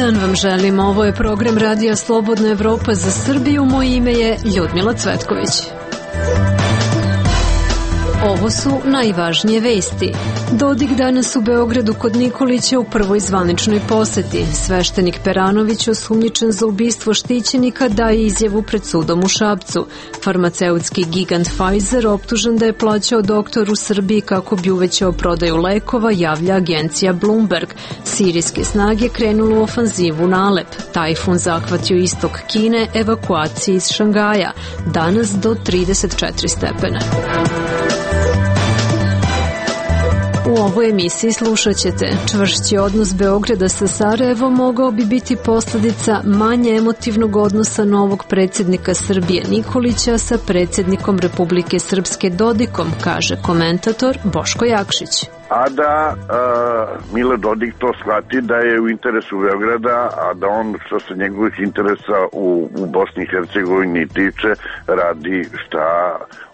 dan vam želim. Ovo je program Radija Slobodna Evropa za Srbiju. Moje ime je Ljudmila Cvetković. Ovo su najvažnije vesti. Dodik danas u Beogradu kod Nikolića u prvoj zvaničnoj poseti. Sveštenik Peranović, osumnjičen za ubistvo štićenika, daje izjavu pred sudom u Šapcu. Farmaceutski gigant Pfizer optužen da je plaćao doktor u Srbiji kako bi uvećao prodaju lekova, javlja agencija Bloomberg. Sirijske snage krenulu u ofanzivu na Alep. Tajfun zahvatio istok Kine, evakuacije iz Šangaja. Danas do 34 stepena. U ovoj emisiji slušat ćete: čvršći odnos Beograda sa Sarajevom mogao bi biti posljedica manje emotivnog odnosa novog predsjednika Srbije Nikolića sa predsjednikom Republike Srpske Dodikom, kaže komentator Boško Jakšić. A da Milo Dodik to shvati da je u interesu Beograda, a da on što se njegovih interesa u Bosni i Hercegovini tiče radi šta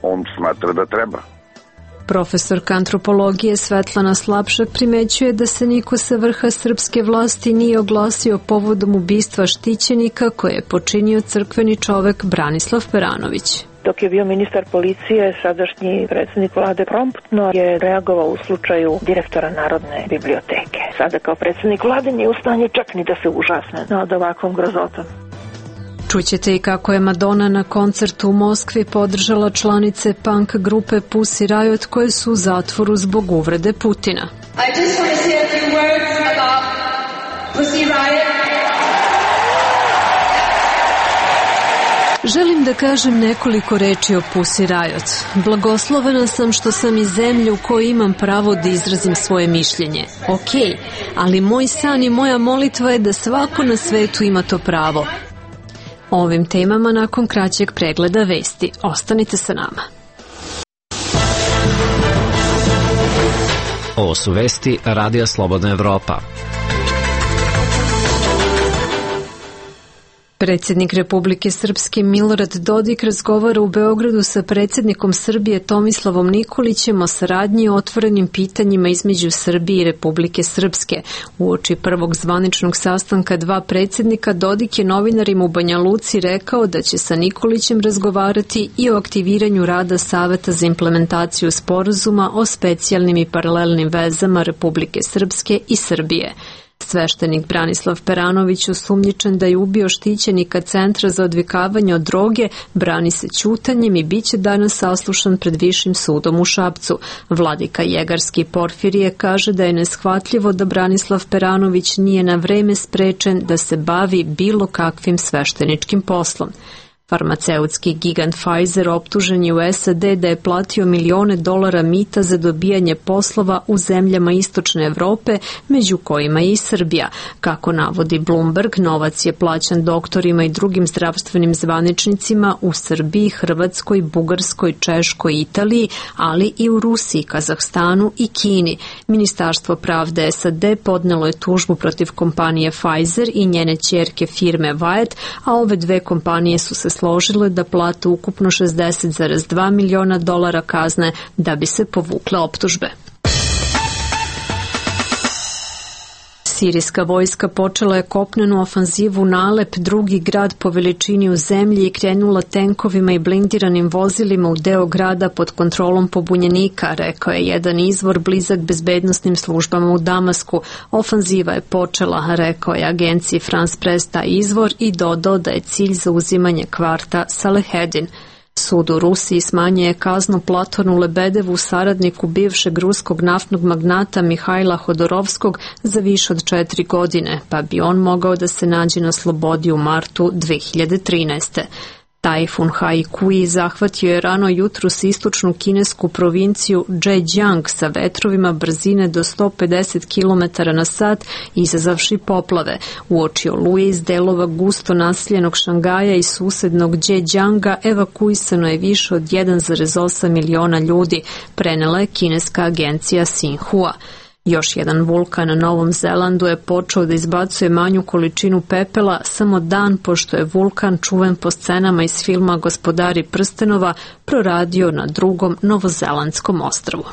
on smatra da treba. Profesorka antropologije Svetlana Slapšak primećuje da se niko sa vrha srpske vlasti nije oglasio povodom ubistva štićenika koje je počinio crkveni čovek Branislav Peranović. Dok je bio ministar policije, sadašnji predsjednik vlade promptno je reagovao u slučaju direktora Narodne biblioteke. Sada kao predsjednik vlade nije u stanju čak ni da se užasne nad ovakvom grozotom. Čućete i kako je Madonna na koncertu u Moskvi podržala članice punk grupe Pussy Riot koje su u zatvoru zbog uvrede Putina. I just want to say a few words about Pussy Riot. Želim da kažem nekoliko reči o Pussy Riot. Blagoslovena sam što sam iz zemlje u kojoj imam pravo da izrazim svoje mišljenje. Ok, ali moj san i moja molitva je da svako na svetu ima to pravo. O ovim temama nakon kraćeg pregleda vesti. Ostanite sa nama. Ovo su vesti Radija Slobodna Evropa. Predsjednik Republike Srpske Milorad Dodik razgovara u Beogradu sa predsjednikom Srbije Tomislavom Nikolićem o saradnji i otvorenim pitanjima između Srbije i Republike Srpske. Uoči prvog zvaničnog sastanka dva predsjednika, Dodik je novinarima u Banja Luci rekao da će sa Nikolićem razgovarati i o aktiviranju rada Saveta za implementaciju sporazuma o specijalnim i paralelnim vezama Republike Srpske i Srbije. Sveštenik Branislav Peranović, osumnjičen da je ubio štićenika Centra za odvikavanje od droge, brani se ćutanjem i bit će danas saslušan pred Višim sudom u Šapcu. Vladika Jegarski Porfirije kaže da je neshvatljivo da Branislav Peranović nije na vreme sprečen da se bavi bilo kakvim svešteničkim poslom. Farmaceutski gigant Pfizer optužen je u SAD da je platio milione dolara mita za dobijanje poslova u zemljama Istočne Evrope, među kojima je i Srbija. Kako navodi Bloomberg, novac je plaćan doktorima i drugim zdravstvenim zvaničnicima u Srbiji, Hrvatskoj, Bugarskoj, Češkoj, Italiji, ali i u Rusiji, Kazahstanu i Kini. Ministarstvo pravde SAD podnelo je tužbu protiv kompanije Pfizer i njene ćerke firme Wyeth, a ove dve kompanije su se složile da plate ukupno $60,2 miliona kazne da bi se povukle optužbe. Sirijska vojska počela je kopnenu ofanzivu na Alep, drugi grad po veličini u zemlji, i krenula tenkovima i blindiranim vozilima u deo grada pod kontrolom pobunjenika, rekao je jedan izvor blizak bezbednosnim službama u Damasku. Ofanziva je počela, rekao je agenciji France Press taj izvor, i dodao da je cilj zauzimanje kvarta Salehedin. Sud u Rusiji smanjuje kaznu Platonu Lebedevu, saradniku bivšeg ruskog naftnog magnata Mihajla Hodorovskog, za više od 4 godine, pa bi on mogao da se nađe na slobodi u martu 2013. Tajfun Haikui zahvatio je rano jutros istočnu kinesku provinciju Zhejiang sa vetrovima brzine do 150 km na sat, izazavši poplave. Uoči oluje iz delova gusto naseljenog Šangaja i susednog Zhejianga evakuisano je više od 1,8 miliona ljudi, prenela je kineska agencija Xinhua. Još jedan vulkan na Novom Zelandu je počeo da izbacuje manju količinu pepela samo dan pošto je vulkan, čuven po scenama iz filma Gospodari prstenova, proradio na drugom novozelandskom ostrvu.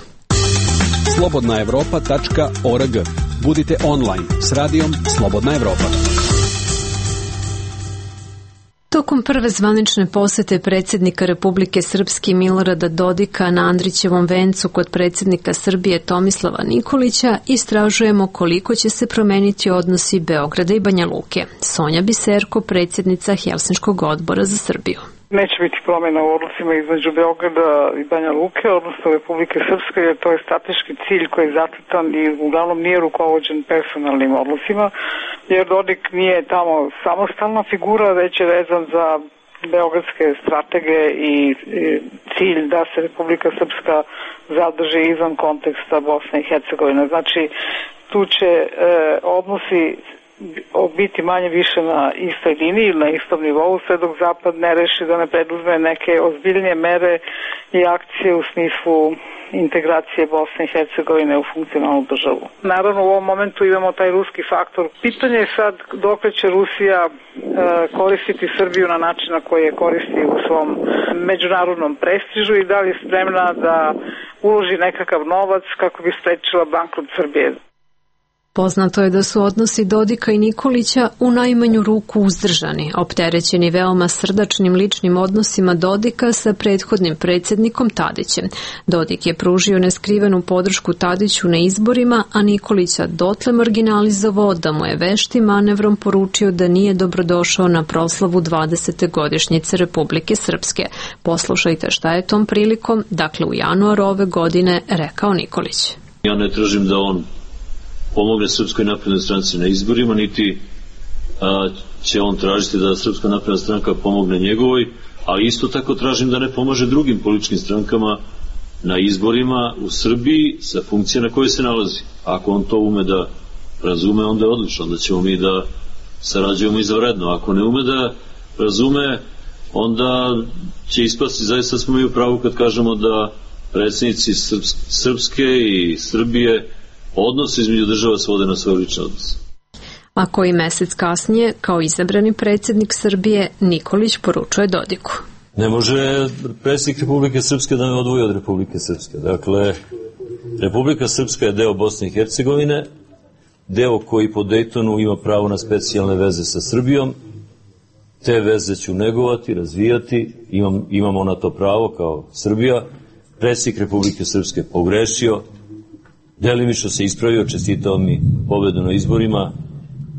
Slobodnaevropa.org. Budite online s radijom Slobodna Evropa. Tokom prve zvanične posete predsjednika Republike Srpske Milorada Dodika na Andrićevom vencu kod predsjednika Srbije Tomislava Nikolića istražujemo koliko će se promeniti odnosi Beograda i Banja Luke. Sonja Biserko, predsjednica Helsinškog odbora za Srbiju. Neće biti promjena u odnosima između Beograda i Banja Luke, odnosno Republike Srpske, jer to je strateški cilj koji je zacrtan i uglavnom nije rukovođen personalnim odnosima, jer Dodik nije tamo samostalna figura, već je vezan za beogradske stratege i cilj da se Republika Srpska zadrži izvan konteksta Bosne i Hercegovine. Znači, tu će odnosi biti manje više na istoj liniji ili na istom nivou, sve dok Zapad ne reši da ne preduzme neke ozbiljnije mere i akcije u smislu integracije Bosne i Hercegovine u funkcionalnu državu. Naravno, u ovom momentu imamo taj ruski faktor. Pitanje je sad dokle će Rusija koristiti Srbiju na način na koji je koristi u svom međunarodnom prestižu i da li je spremna da uloži nekakav novac kako bi sprečila bankrot Srbije. Poznato je da su odnosi Dodika i Nikolića u najmanju ruku uzdržani, opterećeni veoma srdačnim ličnim odnosima Dodika sa prethodnim predsjednikom Tadićem. Dodik je pružio neskrivenu podršku Tadiću na izborima, a Nikolića dotle marginalizovao da mu je veštim manevrom poručio da nije dobrodošao na proslavu 20. godišnjice Republike Srpske. Poslušajte šta je tom prilikom, dakle u januaru ove godine, rekao Nikolić. Ja ne tražim da on pomogne Srpskoj naprednoj stranci na izborima, niti će on tražiti da Srpska napredna stranka pomogne njegovoj, ali isto tako tražim da ne pomaže drugim političkim strankama na izborima u Srbiji sa funkcije na kojoj se nalazi. Ako on to ume da razume, onda je odlično, onda ćemo mi da sarađujemo izvanredno. Ako ne ume da razume, onda će ispasti zaista smo mi u pravu kad kažemo da predsjednici Srpske i Srbije odnos između država svode na svoj lični odnos. A koji mesec kasnije, kao izabrani predsjednik Srbije, Nikolić poručuje Dodiku. Ne može predsjednik Republike Srpske da me odvoji od Republike Srpske. Dakle, Republika Srpska je deo Bosne i Hercegovine, deo koji po Dejtonu ima pravo na specijalne veze sa Srbijom. Te veze ću negovati, razvijati, imamo na to pravo kao Srbija. Predsjednik Republike Srpske pogrešio, delimično se ispravio, čestitao mi pobedu na izborima.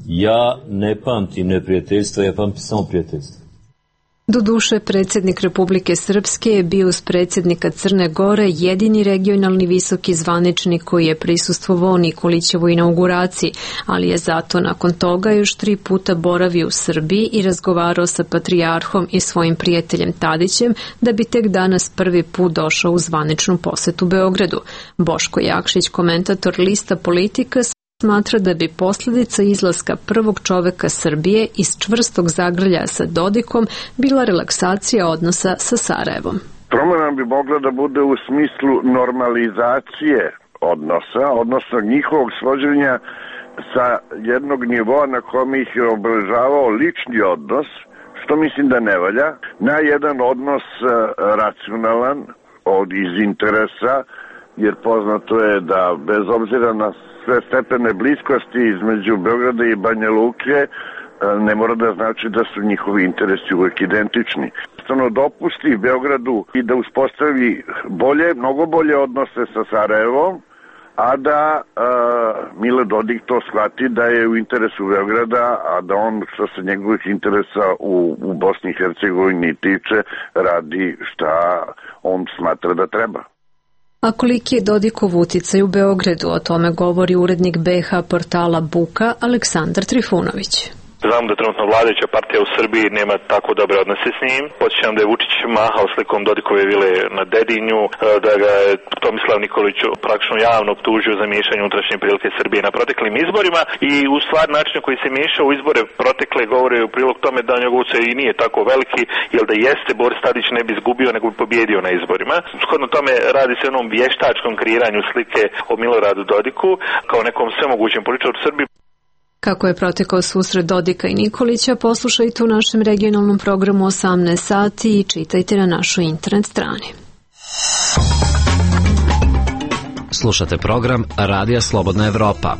Ja ne pamtim neprijateljstva, ja pamtim samo prijateljstva. Doduše, predsjednik Republike Srpske je bio uz predsjednika Crne Gore jedini regionalni visoki zvaničnik koji je prisustvovao Nikolićevoj inauguraciji, ali je zato nakon toga još 3 puta boravio u Srbiji i razgovarao sa patrijarhom i svojim prijateljem Tadićem, da bi tek danas prvi put došao u zvaničnu posetu Beogradu. Boško Jakšić, komentator lista Politika, smatra da bi posljedica izlaska prvog čoveka Srbije iz čvrstog zagrljaja sa Dodikom bila relaksacija odnosa sa Sarajevom. Promjena bi mogla da bude u smislu normalizacije odnosa, odnosno njihovog svođenja sa jednog nivoa na kome ih je obeležavao lični odnos, što mislim da ne valja, na jedan odnos racionalan iz interesa, jer poznato je da bez obzira na sve stepene bliskosti između Beograda i Banja Luke ne mora da znači da su njihovi interesi uvek identični. Jednostavno dopusti Beogradu i da uspostavi mnogo bolje odnose sa Sarajevom, a da Milo Dodik to shvati da je u interesu Beograda, a da on što se njegovih interesa u Bosni i Hercegovini tiče radi šta on smatra da treba. A koliki je Dodikov uticaj u Beogradu, o tome govori urednik BH portala Buka Aleksandar Trifunović. Znam da trenutno vladajuća partija u Srbiji nema tako dobre odnose s njim. Podsjećam da je Vučić mahao slikom Dodikove vile na Dedinju, da ga je Tomislav Nikolić praktično javno optužio za miješanje unutrašnje prilike Srbije na proteklim izborima i u stvar način koji se miješao u izbore protekle govore u prilog tome da njegov utjecaj i nije tako veliki, jer da jeste Boris Tadić ne bi izgubio nego bi pobjedio na izborima. Shodno tome radi se o onom vještačkom kreiranju slike o Miloradu Dodiku kao nekom svemogućem političaru u Srbiji. Kako je protekao susret Dodika i Nikolića, poslušajte u našem regionalnom programu 18 sati i čitajte na našoj internet strani. Slušate program Radija Slobodna Evropa.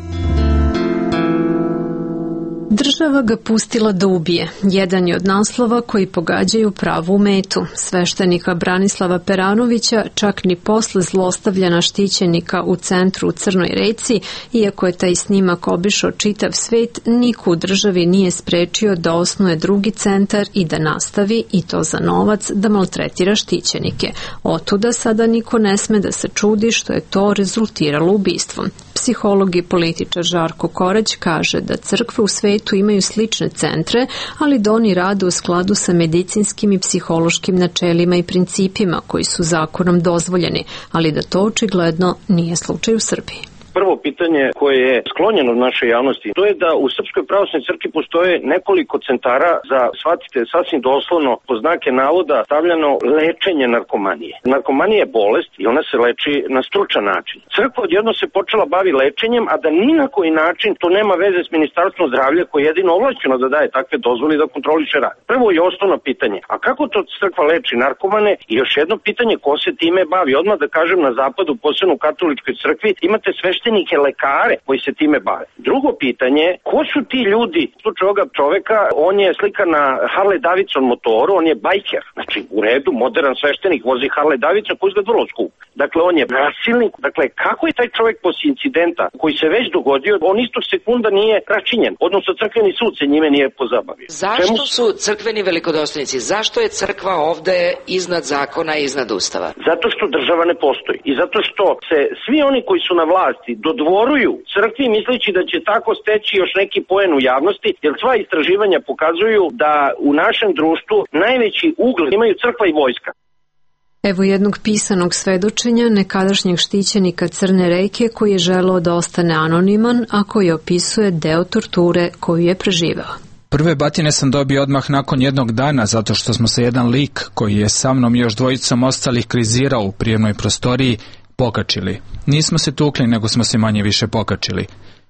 Država ga pustila da ubije. Jedan je od naslova koji pogađaju pravu metu. Sveštenika Branislava Peranovića čak ni posle zlostavljana štićenika u centru u Crnoj Reci, iako je taj snimak obišao čitav svet, niko u državi nije sprečio da osnuje drugi centar i da nastavi, i to za novac, da maltretira štićenike. Otuda sada niko ne sme da se čudi što je to rezultiralo ubistvom. Psiholog i političar Žarko Korać kaže da crkve u svetu imaju slične centre, ali da oni rade u skladu sa medicinskim i psihološkim načelima i principima koji su zakonom dozvoljeni, ali da to očigledno nije slučaj u Srbiji. Prvo pitanje koje je sklonjeno od naše javnosti, to je da u Srpskoj pravoslavnoj crkvi postoje nekoliko centara za, shvatite, sasvim doslovno, po znake navoda, stavljeno lečenje narkomanije. Narkomanija je bolest i ona se leči na stručan način. Crkva odjedno se počela bavi lečenjem, a da ni na koji način to nema veze s Ministarstvom zdravlja koje je jedino ovlašćeno da daje takve dozvole i da kontroliše rad. Prvo je osnovno pitanje, a kako to crkva leči narkomane? I još jedno pitanje, ko se time bavi? Odmah da kažem, na zapadu, posebno u katoličkoj crkvi, imate sveštenike lekare koji se time bave. Drugo pitanje, ko su ti ljudi? U slučaju ovoga čoveka, on je slikan na Harley Davidson motoru, on je bajker. Znači, u redu, modern sveštenik vozi Harley Davidson koji izgleda vrlo skup. Dakle, on je nasilnik. Dakle, kako je taj čovek posle incidenta koji se već dogodio, on istog sekunda nije račinjen, odnosno crkveni sud se njime nije pozabavio. Zašto su crkveni velikodostojnici? Zašto je crkva ovde iznad zakona i iznad ustava? Zato što država ne postoji i zato što se svi oni koji su na vlasti dodvoruju crkvi misleći da će tako steći još neki poen u javnosti, jer sva istraživanja pokazuju da u našem društvu najveći ugled imaju crkva i vojska. Evo jednog pisanog svedočenja nekadašnjeg štićenika Crne Reke koji je želeo da ostane anoniman, a koji opisuje deo torture koju je preživeo. Prve batine sam dobio odmah nakon jednog dana zato što smo se jedan lik koji je sa mnom i još dvojicom ostalih krizirao u prijemnoj prostoriji pokačili. Nismo se tukli, nego smo se manje više pokačili.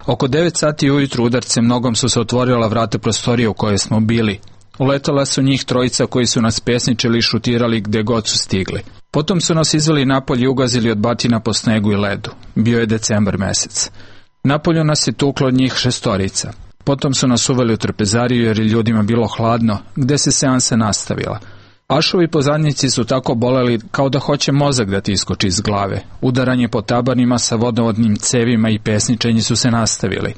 Oko 9 sati ujutru udarcem nogom su se otvorila vrata prostorije u kojoj smo bili. Uletala su njih trojica koji su nas pesničili i šutirali gde god su stigli. Potom su nas izveli napolje i ugazili od batina po snegu i ledu. Bio je decembar mesec. Napolju nas je tuklo od njih 6. Potom su nas uveli u trpezariju jer je ljudima bilo hladno, gde se seansa nastavila. Ašovi po zadnjici su tako boleli kao da hoće mozak da ti iskoči iz glave. Udaranje po tabanima sa vodovodnim cevima i pesničenji su se nastavili.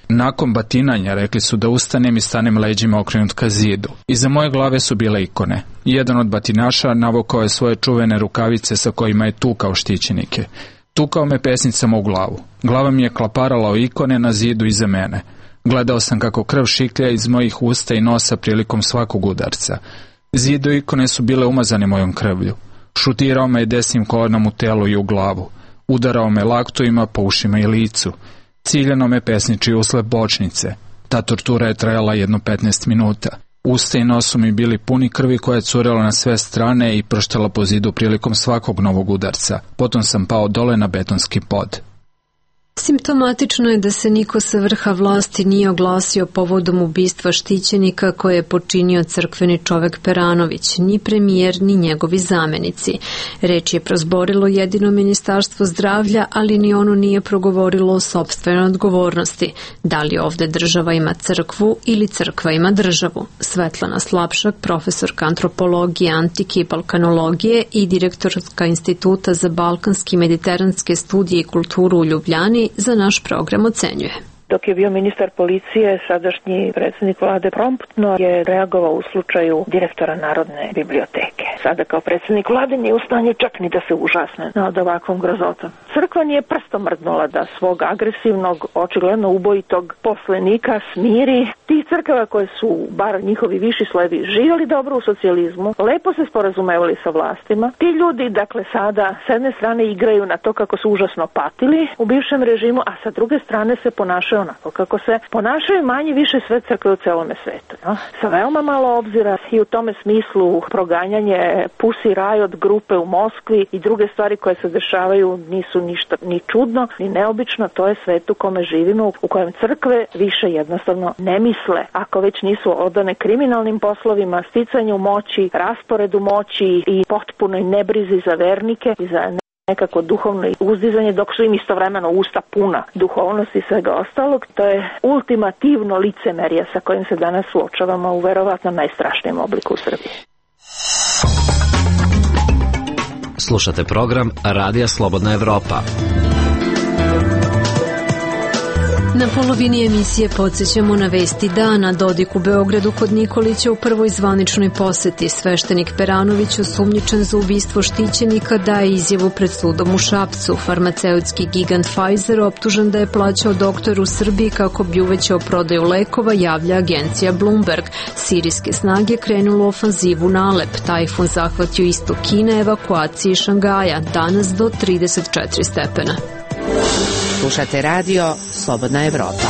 Nakon batinanja rekli su da ustanem i stanem leđima okrenut ka zidu. Iza moje glave su bile ikone. Jedan od batinaša navukao je svoje čuvene rukavice sa kojima je tukao štićenike. Tukao me pesnicama u glavu. Glava mi je klaparala o ikone na zidu iza mene. Gledao sam kako krv šiklja iz mojih usta i nosa prilikom svakog udarca. Zido ikone su bile umazane mojom krvlju. Šutirao me desnim kolenom u telu i u glavu. Udarao me laktovima po ušima i licu. Ciljano me pesničio usled bočnice. Ta tortura je trajala jedno 15 minuta. Usta i nos su mi bili puni krvi koja je curela na sve strane i prštala po zidu prilikom svakog novog udarca. Potom sam pao dole na betonski pod. Simptomatično je da se niko sa vrha vlasti nije oglasio povodom ubistva štićenika koje je počinio crkveni čovek Peranović, ni premijer, ni njegovi zamenici. Reč je prozborilo jedino Ministarstvo zdravlja, ali ni ono nije progovorilo o sopstvenoj odgovornosti. Da li ovde država ima crkvu ili crkva ima državu? Svetlana Slapšak, profesorka antropologije, antike i balkanologije i direktorka Instituta za balkanske i mediteranske studije i kulturu u Ljubljani, za naš program ocenjuje. Dok je bio ministar policije, sadašnji predsjednik vlade promptno je reagovao u slučaju direktora Narodne biblioteke. Sada kao predsjednik vlade nije u stanju čak ni da se užasne nad ovakvom grozotom. Crkva nije prstom mrdnula da svog agresivnog, očigledno ubojitog poslenika smiri. Tih crkava koje su, bar njihovi viši slojevi, živjeli dobro u socijalizmu, lepo se sporazumevali sa vlastima. Ti ljudi, dakle, sada s jedne strane igraju na to kako su užasno patili u bivšem režimu, a sa druge strane se ponašaju onako kako se ponašaju manje više sve crkve u celome svetu. No? Sa veoma malo obzira i u tome smislu proganjanje Pussy Riot grupe u Moskvi i druge stvari koje se dešavaju nisu ništa ni čudno, ni neobično. To je svet u kome živimo, u kojem crkve više jednostavno ne misle. Ako već nisu odane kriminalnim poslovima, sticanju moći, rasporedu moći i potpunoj nebrizi za vernike i za nekako duhovno uzdizanje, dok su im istovremeno usta puna duhovnosti i svega ostalog. To je ultimativno licemerje sa kojim se danas suočavamo u verovatno najstrašnijem obliku u Srbiji. Slušate program Radija Slobodna Evropa. Na polovini emisije podsjećamo na vesti dana. Dodik u Beogradu kod Nikolića u prvoj zvaničnoj poseti. Sveštenik Peranović, osumnjičen za ubistvo štićenika, daje izjavu pred sudom u Šapcu. Farmaceutski gigant Pfizer, optužen da je plaćao doktor u Srbiji kako bi uvećao prodaju lekova, javlja agencija Bloomberg. Sirijske snage krenulo u ofanzivu na Alep. Tajfun zahvatio istok Kine, evakuaciji Šangaja. Danas do 34 stepena. Slušate radio Slobodna Evropa.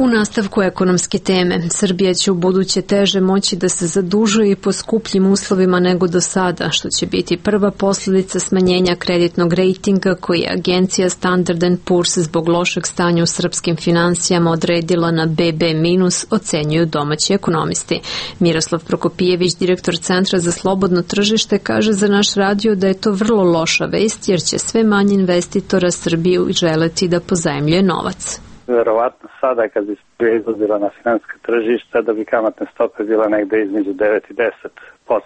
U nastavku ekonomske teme, Srbija će u buduće teže moći da se zadužuje i po skupljim uslovima nego do sada, što će biti prva posljedica smanjenja kreditnog rejtinga koji je agencija Standard & Poor's zbog lošeg stanja u srpskim finansijama odredila na BB-, ocenjuju domaći ekonomisti. Miroslav Prokopijević, direktor Centra za slobodno tržište, kaže za naš radio da je to vrlo loša vest jer će sve manje investitora Srbiju želeti da pozajmljuje novac. Verovatno sada kad bi se izlazila na finansijska tržišta da bi kamatne stope bila negde između 9 i 10%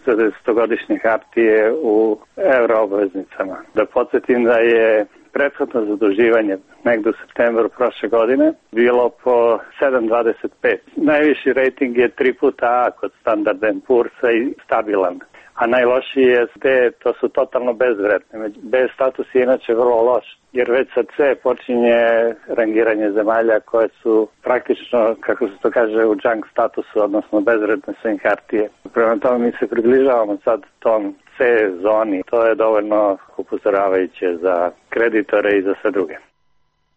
za 10-godišnje hartije u euroobveznicama. Da podsjetim da je prethodno zaduživanje negde u septembru prošle godine bilo po 7,25. Najviši rating je 3 puta A kod Standard & Poor'sa i stabilan. A najlošiji je D, to su totalno bezvredne. B status je inače vrlo loš, jer već sa C počinje rangiranje zemalja koje su praktično, kako se to kaže, u junk statusu, odnosno bezvredne su im hartije. Prema tome mi se približavamo sad tom C zoni. To je dovoljno upozoravajuće za kreditore i za sve druge.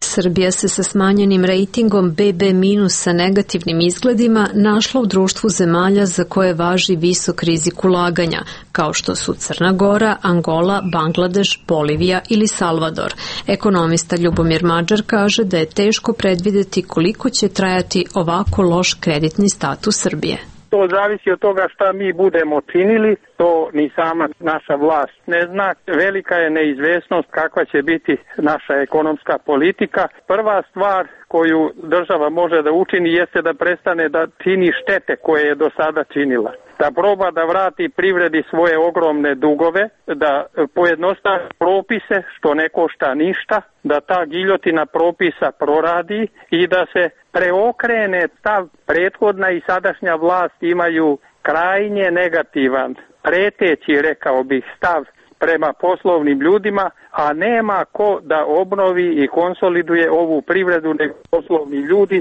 Srbija se sa smanjenim rejtingom BB- sa negativnim izgledima našla u društvu zemalja za koje važi visok rizik ulaganja, kao što su Crna Gora, Angola, Bangladeš, Bolivija ili Salvador. Ekonomista Ljubomir Mađar kaže da je teško predvideti koliko će trajati ovako loš kreditni status Srbije. To zavisi od toga šta mi budemo činili, to ni sama naša vlast ne zna. Velika je neizvesnost kakva će biti naša ekonomska politika. Prva stvar koju država može da učini jeste da prestane da čini štete koje je do sada činila. Da proba da vrati privredi svoje ogromne dugove, da pojednostavi propise što ne košta ništa, da ta giljotina propisa proradi i da se preokrene stav. Prethodna i sadašnja vlast imaju krajnje negativan, preteći, rekao bih, stav prema poslovnim ljudima, a nema ko da obnovi i konsoliduje ovu privredu nego poslovni ljudi.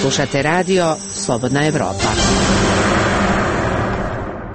Slušate radio Slobodna Evropa.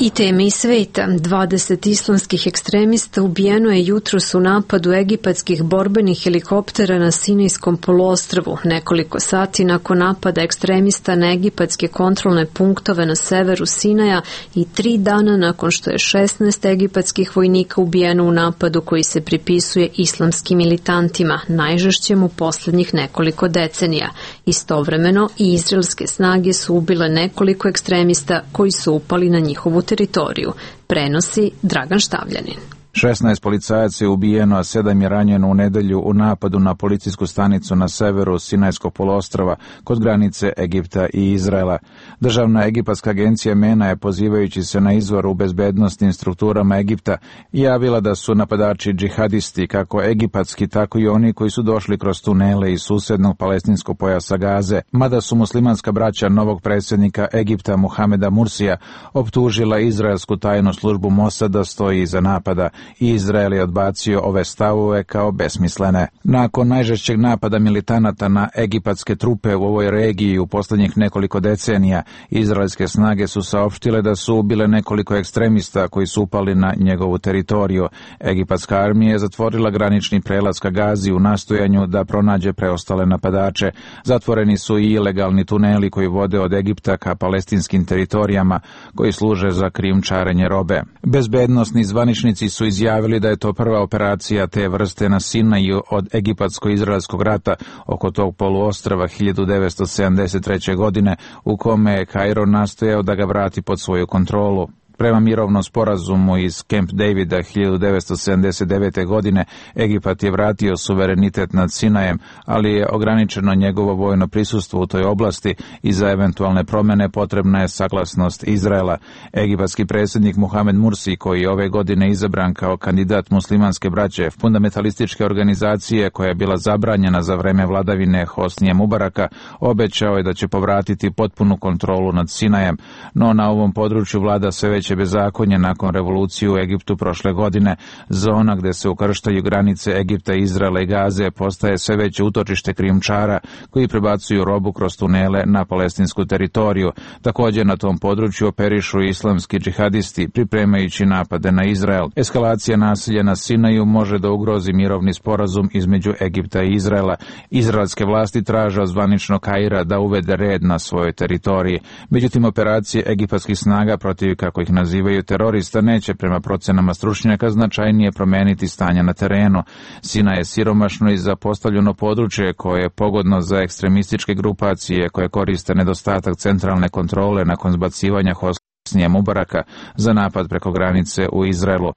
I teme iz sveta. 20 islamskih ekstremista ubijeno je jutros u napadu egipatskih borbenih helikoptera na Sinajskom poluostrvu. Nekoliko sati nakon napada ekstremista na egipatske kontrolne punktove na severu Sinaja i 3 dana nakon što je 16 egipatskih vojnika ubijeno u napadu koji se pripisuje islamskim militantima, najžešćem u posljednjih nekoliko decenija. Istovremeno i izraelske snage su ubile nekoliko ekstremista koji su upali na njihovu teritoriju, prenosi Dragan Štavljanin. 16 policajaca je ubijeno, a 7 je ranjeno u nedelju u napadu na policijsku stanicu na severu Sinajskog poluostrva kod granice Egipta i Izraela. Državna egipatska agencija MENA je, pozivajući se na izvor u bezbednostnim strukturama Egipta, javila da su napadači džihadisti, kako egipatski, tako i oni koji su došli kroz tunele iz susednog palestinskog pojasa Gaze, mada su muslimanska braća novog predsjednika Egipta Muhameda Mursija optužila izraelsku tajnu službu Mosada stoji iza napada. Izrael je odbacio ove stavove kao besmislene. Nakon najžešćeg napada militanata na egipatske trupe u ovoj regiji u posljednjih nekoliko decenija, izraelske snage su saopštile da su ubile nekoliko ekstremista koji su upali na njegovu teritoriju. Egipatska armija je zatvorila granični prelaz ka Gazi u nastojanju da pronađe preostale napadače. Zatvoreni su i ilegalni tuneli koji vode od Egipta ka palestinskim teritorijama koji služe za krijumčarenje robe. Bezbednosni zvaničnici su izjavili da je to prva operacija te vrste na Sinaju od egipatsko-izraelskog rata oko tog poluostrva 1973. godine, u kome je Kairo nastojao da ga vrati pod svoju kontrolu. Prema mirovnom sporazumu iz Camp Davida 1979. godine Egipat je vratio suverenitet nad Sinajem, ali je ograničeno njegovo vojno prisustvo u toj oblasti i za eventualne promjene potrebna je saglasnost Izraela. Egipatski predsjednik Muhamed Mursi, koji je ove godine izabran kao kandidat muslimanske braće, fundamentalističke organizacije koja je bila zabranjena za vreme vladavine Hosnije Mubaraka, obećao je da će povratiti potpunu kontrolu nad Sinajem, no na ovom području vlada sve veće bezakonje nakon revolucije u Egiptu prošle godine. Zona gde se ukrštaju granice Egipta, Izraela i Gaze postaje sve veće utočište krijumčara koji prebacuju robu kroz tunele na palestinsku teritoriju. Također na tom području operišu islamski džihadisti, pripremajući napade na Izrael. Eskalacija nasilja na Sinaju može da ugrozi mirovni sporazum između Egipta i Izraela. Izraelske vlasti traže od zvaničnog Kaira da uvede red na svojoj teritoriji. Međutim, operacije egipatskih snaga protiv, kako ih nazivaju, terorista neće prema procenama stručnjaka značajnije promeniti stanje na terenu. Sinaj je siromašno i zapostavljeno područje koje je pogodno za ekstremističke grupacije koje koriste nedostatak centralne kontrole nakon zbacivanja Hosnije Mubaraka za napad preko granice u Izraelu.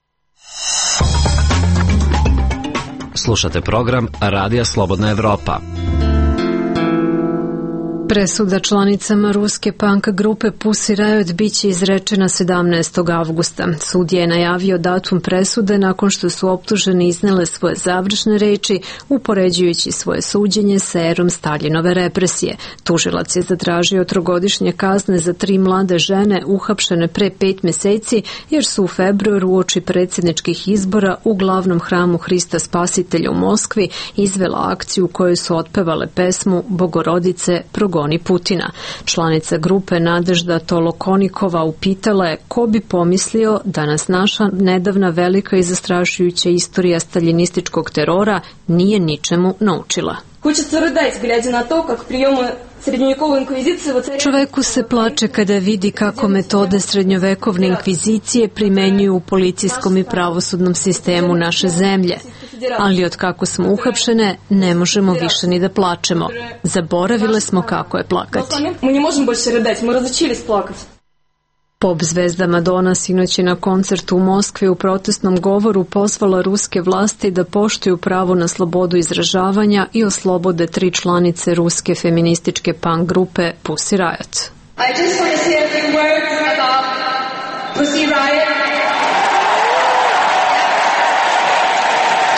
Slušate program Radija Slobodna Evropa. Presuda članicama ruske punk grupe Pussy Riot biće izrečena 17. avgusta. Sud je najavio datum presude nakon što su optuženi iznele svoje završne reči, upoređujući svoje suđenje sa erom Staljinove represije. Tužilac je zatražio 3-godišnje kazne za 3 mlade žene uhapšene pre 5 meseci, jer su u februaru uoči predsjedničkih izbora u glavnom hramu Hrista Spasitelja u Moskvi izvela akciju u kojoj su otpevale pesmu Bogorodice progoni Putina. Članica grupe Nadežda Tolokonikova upitala je ko bi pomislio da nas naša nedavna velika i zastrašujuća istorija staljinističkog terora nije ničemu naučila. Čoveku se plače kada vidi kako metode srednjovekovne inkvizicije primenjuju u policijskom i pravosudnom sistemu naše zemlje. Ali od kako smo uhapšene, ne možemo više ni da plačemo. Zaboravile smo kako je plakati. Pop zvezda Madonna sinoć je na koncertu u Moskvi u protestnom govoru pozvala ruske vlasti da poštuju pravo na slobodu izražavanja i oslobode 3 članice ruske feminističke punk grupe Pussy Riot. I just want to say a few words about Pussy Riot.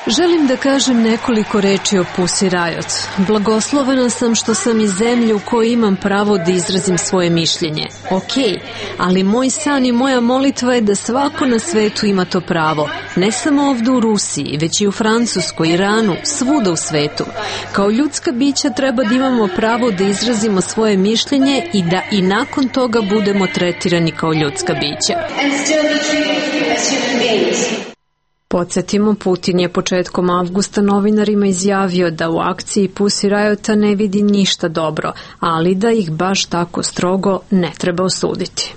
Želim da kažem nekoliko reči o Pussy Riot. Blagoslovena sam što sam iz zemlje u kojoj imam pravo da izrazim svoje mišljenje. Ok, ali moj san i moja molitva je da svako na svetu ima to pravo. Ne samo ovdje u Rusiji, već i u Francuskoj, Iranu, svuda u svetu. Kao ljudska bića treba da imamo pravo da izrazimo svoje mišljenje i da i nakon toga budemo tretirani kao ljudska bića. Podsjetimo, Putin je početkom avgusta novinarima izjavio da u akciji Pussy Riota ne vidi ništa dobro, ali da ih baš tako strogo ne treba osuditi.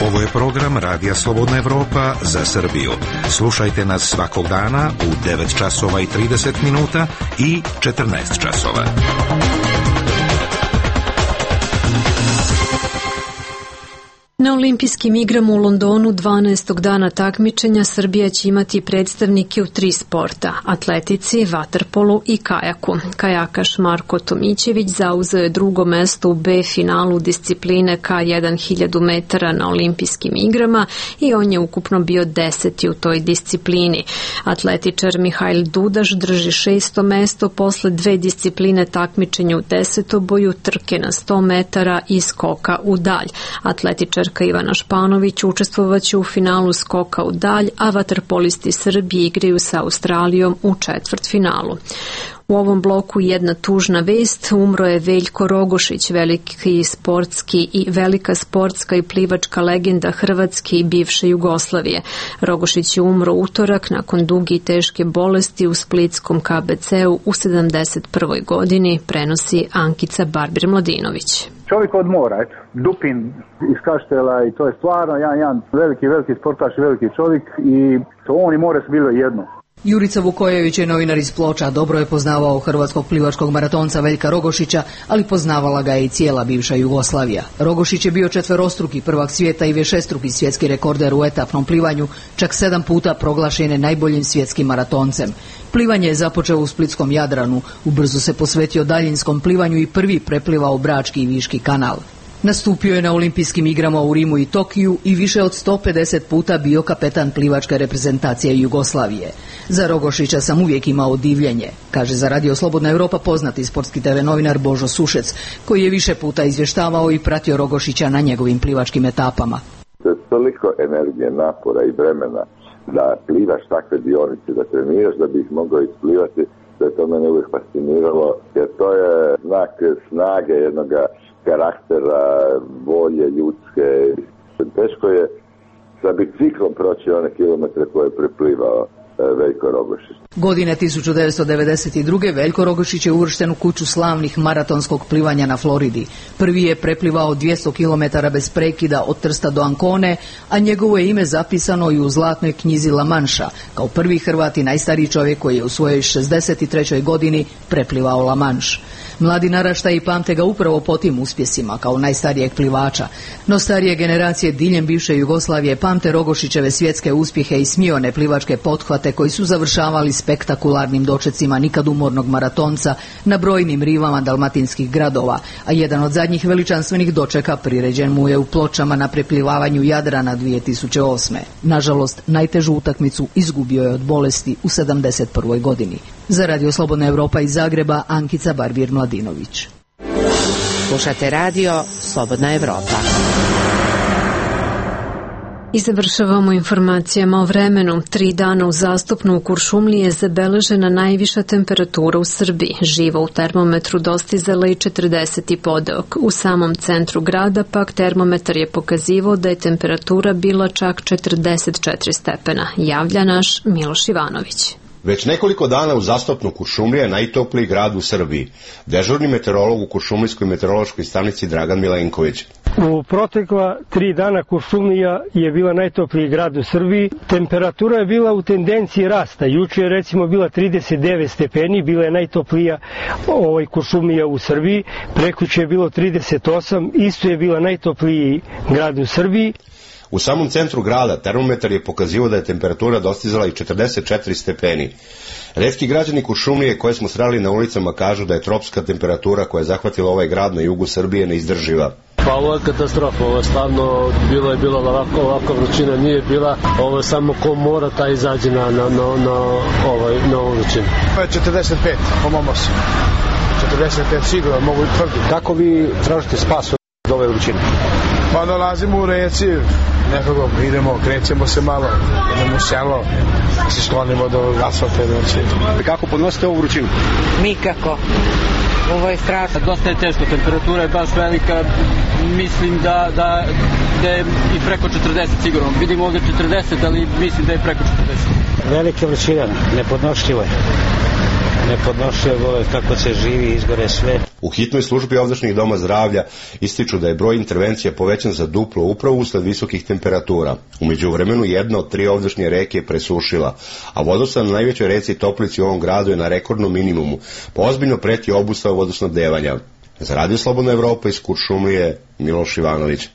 Ovo je program Radija Slobodna Evropa za Srbiju. Slušajte nas svakog dana u 9 časova i 30 minuta i 14 časova. Na olimpijskim igrama u Londonu 12. dana takmičenja Srbija će imati predstavnike u 3 sporta, atletici, vaterpolu i kajaku. Kajakaš Marko Tomićević zauzeo je 2. mesto u B finalu discipline K1 1000 metara na olimpijskim igrama i on je ukupno bio 10. u toj disciplini. Atletičar Mihajl Dudaš drži 6. mesto posle 2 discipline takmičenja u desetoboju, trke na 100 metara i skoka u dalj. Atletičar Ivana Španović učestvovaće u finalu skoka u dalj, a vaterpolisti Srbije igraju sa Australijom u četvrtfinalu. U ovom bloku jedna tužna vest, umro je Veljko Rogošić, velika sportska i plivačka legenda Hrvatske i bivše Jugoslavije. Rogošić je umro utorak nakon duge i teške bolesti u splitskom KBC-u u 71. godini, prenosi Ankica Barbir-Mladinović. Čovjek od mora, eto, Dupin iz Kaštela i to je stvarno jedan veliki sportaš, veliki čovjek i to on i more su bili jedno. Jurica Vukojević je novinar iz Ploča, dobro je poznavao hrvatskog plivačkog maratonca Veljka Rogošića, ali poznavala ga je i cijela bivša Jugoslavija. Rogošić je bio četverostruki prvak svijeta i višestruki svjetski rekorder u etapnom plivanju, čak 7 puta proglašen je najboljim svjetskim maratoncem. Plivanje je započeo u splitskom Jadranu, ubrzo se posvetio daljinskom plivanju i prvi preplivao Brački i Viški kanal. Nastupio je na olimpijskim igrama u Rimu i Tokiju i više od 150 puta bio kapetan plivačke reprezentacije Jugoslavije. Za Rogošića sam uvijek imao divljenje, kaže za Radio Slobodna Europa poznati sportski TV novinar Božo Sušec, koji je više puta izvještavao i pratio Rogošića na njegovim plivačkim etapama. To je toliko energije, napora i vremena da plivaš takve dionice, da treniraš da bi ih mogao isplivati, da je to mene uvijek fasciniralo, jer to je znak snage jednoga karaktera, volje ljudske. Teško je sa biciklom proći one kilometre koje je preplivao Veljko Rogošić. Godine 1992. Veljko Rogošić je uvršten u kuću slavnih maratonskog plivanja na Floridi. Prvi je preplivao 200 km bez prekida od Trsta do Ancone, a njegovo je ime zapisano i u zlatnoj knjizi La Manša, kao prvi Hrvat i najstariji čovjek koji je u svojoj 63. godini preplivao La Manš. Mladi naraštaji pamte ga upravo po tim uspjesima kao najstarijeg plivača, no starije generacije diljem bivše Jugoslavije pamte Rogošićeve svjetske uspjehe i smione plivačke pothvate koji su završavali spektakularnim dočecima nikad umornog maratonca na brojnim rivama dalmatinskih gradova, a jedan od zadnjih veličanstvenih dočeka priređen mu je u Pločama na preplivavanju Jadrana 2008. Nažalost, najtežu utakmicu izgubio je od bolesti u 71. godini. Za Radio Slobodna Europa iz Zagreba, Ankica Barbir-Mladinović. Slušate Radio Slobodna Europa. I završavamo informacijama o vremenu. 3 dana uzastopno u Kuršumliji je zabeležena najviša temperatura u Srbiji. Živa u termometru dostizala i 40 podeok. U samom centru grada pak termometar je pokazivao da je temperatura bila čak 44 stepena. Javlja naš Miloš Ivanović. Već nekoliko dana uzastopno Kuršumlija je najtopliji grad u Srbiji. Dežurni meteorolog u Kuršumlijskoj meteorološkoj stanici Dragan Milenković. U protekla 3 dana Kuršumlija je bila najtopliji grad u Srbiji. Temperatura je bila u tendenciji rasta. Juče je recimo bila 39 stepeni, bila je najtoplija Kuršumlija u Srbiji. Prekuće je bilo 38, isto je bila najtopliji grad u Srbiji. U samom centru grada termometar je pokazivao da je temperatura dostizala i 44 stepeni. Retki građani Kuršumlije koje smo sreli na ulicama kažu da je tropska temperatura koja je zahvatila ovaj grad na jugu Srbije neizdrživa. Pa ovo je katastrofa, ovo je stvarno bilo ovako vrućina nije bila, ovo je samo ko mora taj izađe na ovu vrućinu. 45 po mom osu, 45 sigurno mogu tvrditi. Kako vi tražite spas od ove vrućine? Pa dolazimo u reci, nekako idemo, krećemo se malo, idemo u selo, se sklonimo do asfalta. Kako podnosite ovu vrućinu? Nikako. Ovo je strašno. Dosta je teško, temperatura je baš velika, mislim da je i preko 40 sigurno. Vidimo ovdje 40, ali mislim da je preko 40. Velike vrućina, nepodnošljivo je. Nepodnošljivo je kako se živi, izgore sve. U hitnoj službi ovdašnjih doma zdravlja ističu da je broj intervencija povećan za duplo upravo usled visokih temperatura. U međuvremenu jedna od 3 ovdašnje reke je presušila, a vodostaj na najvećoj reci Toplici u ovom gradu je na rekordnom minimumu, pa ozbiljno preti obustava vodosnabdevanja. Za Radio Slobodna Evropa iz Kuršumlije, Miloš Ivanović.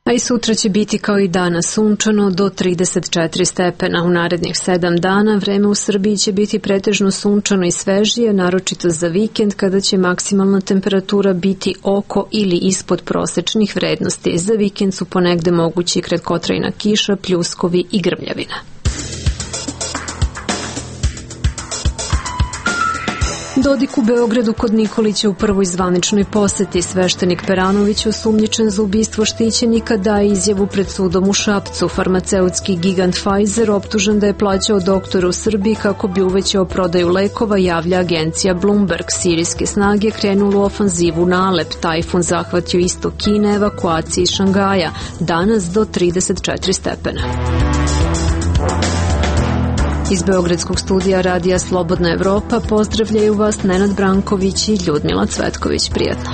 A i sutra će biti kao i danas sunčano do 34 stepena. U narednih 7 dana vreme u Srbiji će biti pretežno sunčano i svežije, naročito za vikend kada će maksimalna temperatura biti oko ili ispod prosečnih vrednosti. Za vikend su ponegde mogući kratkotrajna kiša, pljuskovi i grmljavina. Dodik u Beogradu kod Nikolića u prvoj zvaničnoj poseti. Sveštenik Peranović, osumnjičen za ubistvo štićenika, daje izjavu pred sudom u Šapcu. Farmaceutski gigant Pfizer optužen da je plaćao doktora u Srbiji kako bi uvećao prodaju lekova, javlja agencija Bloomberg. Sirijske snage krenulu u ofanzivu na Alep. Tajfun zahvatio istok Kine, evakuaciji iz Šangaja. Danas do 34 stepena. Iz Beogradskog studija Radija Slobodna Evropa pozdravljaju vas Nenad Branković i Ljudmila Cvetković. Prijatno.